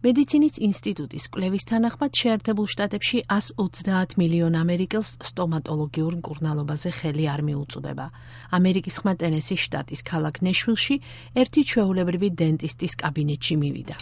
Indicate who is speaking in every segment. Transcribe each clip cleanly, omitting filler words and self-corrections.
Speaker 1: მედიცინის ინსტიტუტის კვლევის თანახმად შეერთებულ შტატებში 130 მილიონ ამერიკელს სტომატოლოგიურ მკურნალობაზე ხელი არ მიუწვდება. ამერიკის ხმა ტენესის შტატის ქალაქ ნეშვილში ერთი ჩვეულებრივი დენტისტის კაბინეტში მივიდა.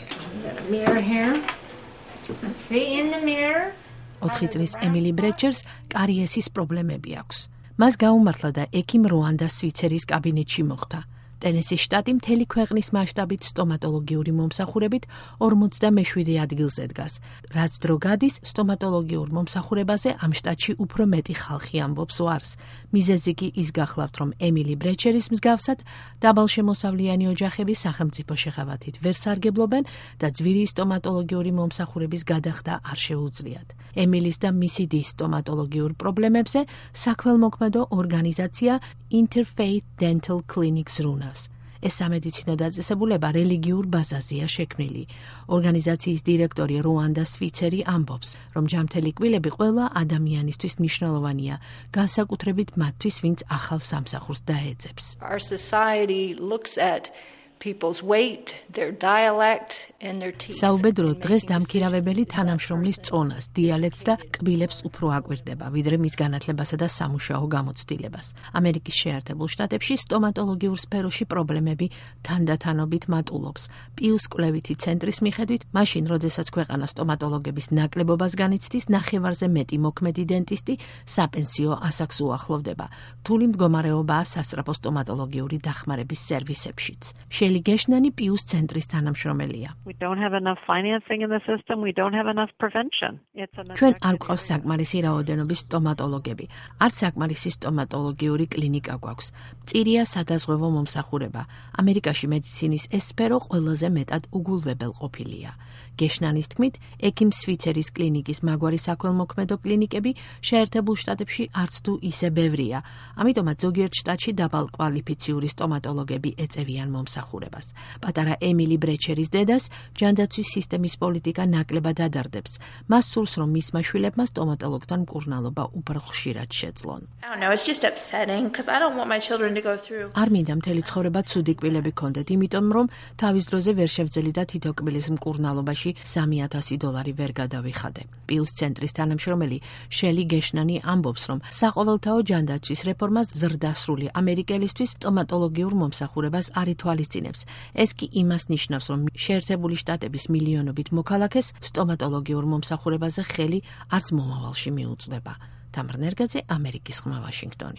Speaker 1: 4 წლის ემილი ბრეჩერს კარიესის პრობლემები აქვს. მას გაუმართლა და ექიმ როანდას სვიცერის კაბინეტში მოხვდა. ტენესის შტატი მთელი ქვეყნის მასშტაბით სტომატოლოგიური მომსახურებით 47 ადგილზე დგას. რაც დრო გადის, სტომატოლოგიურ მომსახურებაზე ამ შტატში უფრო მეტი ხალხი ამბობს ვარს. მიზეზი კი ის გახლავთ, რომ ემილი ბრეჩერის მსგავსად დაბალშემოსავლიანი ოჯახები სახელმწიფო შეღავათით ვერ სარგებლობენ და ძვირი სტომატოლოგიური მომსახურების გადახდა არ შეუძლიათ. ემილის და მისი დის სტომატოლოგიურ პრობლემებზე საქველმოქმედო ორგანიზაცია Interfaith Dental Clinics რუნავს. ეს სამედიცინო დაწესებულება რელიგიურ ბაზაზეა შექმნილი. ორგანიზაციის დირექტორი როანდა სვიცერი ამბობს, რომ ჯამთელი კბილები ყველა ადამიანისთვის მნიშვნელოვანია, განსაკუთრებით მათთვის, ვინც ახალ სამსახურს დაეძებს.
Speaker 2: Our society looks at people's weight, their dialect and their teeth.
Speaker 1: საუბედრო დღეს დამქირავებელი თანამშრომლის წონას, დიალექტს და კბილებს უფრო აკვირდება, ვიდრე მის განათლებასა და სამუშაო გამოცდილებას. ამერიკის შეერთებულ შტატებში სტომატოლოგიურ სფეროში პრობლემები თანდათანობით მატულობს. პიუს კვლევითი ცენტრის მიხედვით, მაშინ, როდესაც ქვეყანა სტომატოლოგების ნაკლებობას განიცდის, ნახევარზე მეტი მოქმედი დენტისტი საპენსიო ასაკს უახლოვდება. რთული მდგომარეობაა სასწრაფო სტომატოლოგიური დახმარების სერვისებშიც. შელი გეშნანი პიუს ცენტრის თანამშრომელია. ჩვენ არ გვყავს საკმარისი რაოდენობის სტომატოლოგები. არც საკმარისი სტომატოლოგიური კლინიკა გვაქვს. მწირია სადაზღვევო მომსახურება. ამერიკაში მედიცინის ეს სფერო ყველაზე მეტად უგულვებელ ყოფილია. გეშნანის თქმით, ექიმ სვიცერის კლინიკის მაგვარი საქველმოქმედო კლინიკები შეერთებულ შტატებში არც თუ ისე ბევრია. ამიტომაც ზოგიერთ შტატში დაბალკვალიფიციური სტომატოლოგები ეწევიან მომსახურებას. პატარა ემილი ბრეჩერის დედას ჯანდაცვის სისტემის პოლიტიკა ნაკლებად ადარდებს. მას სურს, რომ მისმა შვილებმა სტომატოლოგთან მკურნალობა უფრო ხშირად შეძლონ. არ მინდა მთელი ცხოვრება ცუდი კბილები გქონდეთ, იმიტომ რომ თავის დროზე ვერ შევძელი და თითო კბილის მკურნალობაში $3,000 ვერ გადავიხადე. პიუს ცენტრის თანამშრომელი შელი გეშნანი ამბობს, რომ საყოველთაო ჯანდაცვის რეფორმას ზრდასრული ამერიკელისთვის სტომატოლოგიურ მომსახურებას არ ითვალისწინებს. ეს კი იმას ნიშნავს, რომ შეერთებული შტატების მილიონობით მოქალაქეს სტომატოლოგიურ მომსახურებაზე ხელი არც მომავალში მიუწვდება. თამარ ნერგაძე, ამერიკის ხმა, ვაშინგტონი.